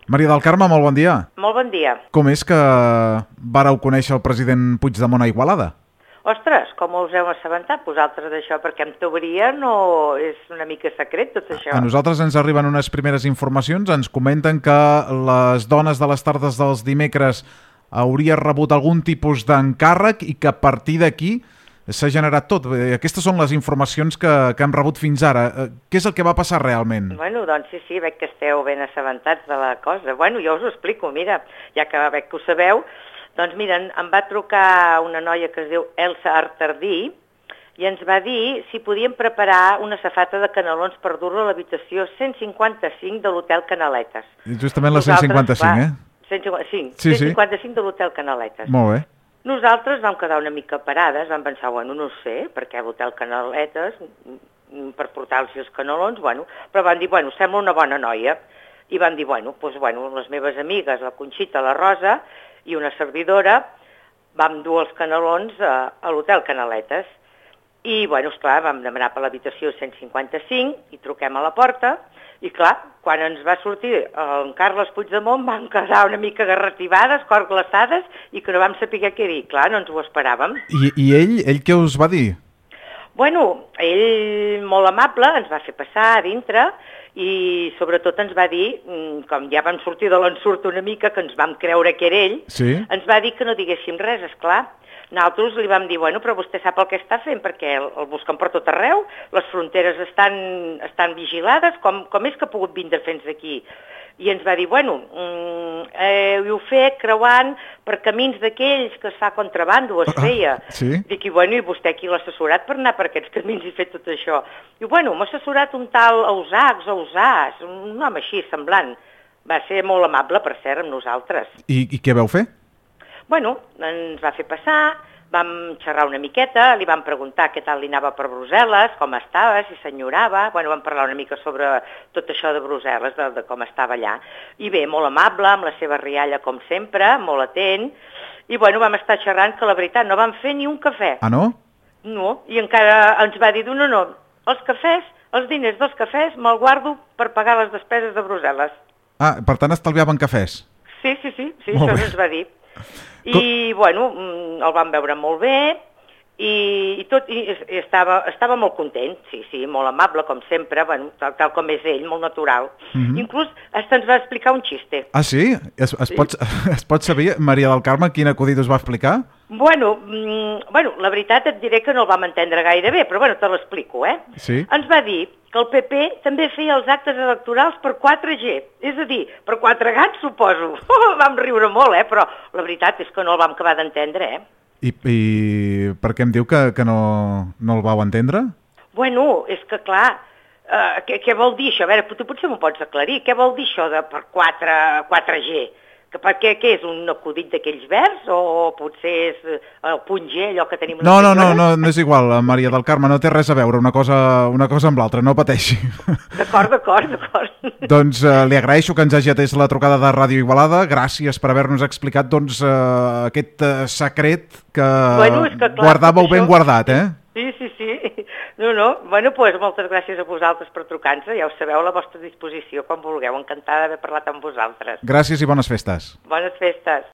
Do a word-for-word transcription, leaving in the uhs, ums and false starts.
Maria del Carme, molt bon dia. Molt bon dia. Com és que vàreu conèixer el president Puigdemont a Igualada? Ostres, com us heu assabentat vosaltres d'això? Perquè en teoria no és una mica secret tot això. A nosaltres ens arriben unes primeres informacions, ens comenten que les dones de les tardes dels dimecres hauria rebut algun tipus d'encàrrec i que a partir d'aquí s'ha generat tot. Aquestes són les informacions que, que hem rebut fins ara. Què és el que va passar realment? Bueno, doncs sí, sí, veig que esteu ben assabentats de la cosa. Bueno, jo us ho explico, mira, ja que veig que ho sabeu. Doncs mira, em va trucar una noia que es diu Elsa Artardí i ens va dir si podíem preparar una safata de canelons per dur-la a l'habitació cent cinquanta-cinc de l'Hotel Canaletes. Justament la cent cinquanta-cinc, eh? cent cinquanta-cinc, sí, cent cinquanta-cinc de l'Hotel Canaletes. Molt bé. Nosaltres vam quedar una mica parades, vam pensar, bueno, no sé, perquè l'Hotel Canaletes, per portar-los els canelons, bueno, però van dir, bueno, sembla una bona noia. I van dir, bueno, doncs, bueno, les meves amigues, la Conxita, la Rosa i una servidora, vam dur els canelons a, a l'Hotel Canaletes. I, bueno, esclar, vam demanar per l'habitació cent cinquanta-cinc i truquem a la porta. I, clar, quan ens va sortir en Carles Puigdemont vam quedar una mica garrativades, cor glaçades, i que no vam saber què dir. Clar, no ens ho esperàvem. I, i ell, ell què us va dir? Bueno, ell, molt amable, ens va fer passar a dintre i sobretot ens va dir, com ja vam sortir de l'ensurt una mica, que ens vam creure que era ell, sí? Ens va dir que no diguéssim res, esclar. Nosaltres li vam dir, bueno, però vostè sap el que està fent, perquè el, el busquen per tot arreu, les fronteres estan, estan vigilades, com, com és que ha pogut vindre fins aquí? I ens va dir, bueno, eh, ho fet creuant per camins d'aquells que es fa contrabando, es feia. Ah, sí? Dic, i bueno, i vostè qui l'ha assessorat per anar per aquests camins i fer tot això? Diu, bueno, m'ha assessorat un tal Ausacs, Ausàs, un home així semblant. Va ser molt amable, per cert, amb nosaltres. I, i què vau fer? Bueno, ens va fer passar, vam xerrar una miqueta, li vam preguntar què tal li anava per Brussel·les, com estava, si s'enyorava, bueno, vam parlar una mica sobre tot això de Brussel·les, de, de com estava allà. I bé, molt amable, amb la seva rialla com sempre, molt atent, i bueno, vam estar xerrant que la veritat no vam fer ni un cafè. Ah, no? No, i encara ens va dir, no, no, els cafès, els diners dels cafès me'l guardo per pagar les despeses de Brussel·les. Ah, per tant estalviaven cafès? Sí, sí, sí, sí, molt això bé. ens va dir. I, bueno, el vam veure molt bé i, i tot, i, i estava, estava molt content, sí, sí, molt amable, com sempre, bueno, tal, tal com és ell, molt natural. Mm-hmm. Inclús hasta ens va explicar un xiste. Ah, sí? Es, es, sí. Pot, es pot saber, Maria del Carme, quin acudit us va explicar? Bueno, mm, bueno, la veritat et diré que no el vam entendre gaire bé, però bueno, te l'explico, eh? Sí. Ens va dir que el P P també feia els actes electorals per quatre G, és a dir, per quatre gats, suposo. Oh, vam riure molt, eh? Però la veritat és que no el vam acabar d'entendre, eh? I, I per què em diu que, que no, no el vau entendre? Bueno, és que clar, uh, què, què vol dir això? A veure, tu potser m'ho pots aclarir. Què vol dir això de per quatre G? Que per què, què és un acudit d'aquells verds o potser és el punt G, allò que tenim... No, no, no, no, no és igual, Maria del Carme, no té res a veure una cosa, una cosa amb l'altra, no pateixi. D'acord, d'acord, d'acord. Doncs eh, li agraeixo que ens hagi atès la trucada de Ràdio Igualada, gràcies per haver-nos explicat doncs, eh, aquest eh, secret que, bueno, és que clar, guardàveu ben guardat, eh? Sí, sí, sí. No, no. Bueno, doncs pues, moltes gràcies a vosaltres per trucar-nos. Ja ho sabeu, a la vostra disposició, quan vulgueu. Encantada d'haver parlat amb vosaltres. Gràcies i bones festes. Bones festes.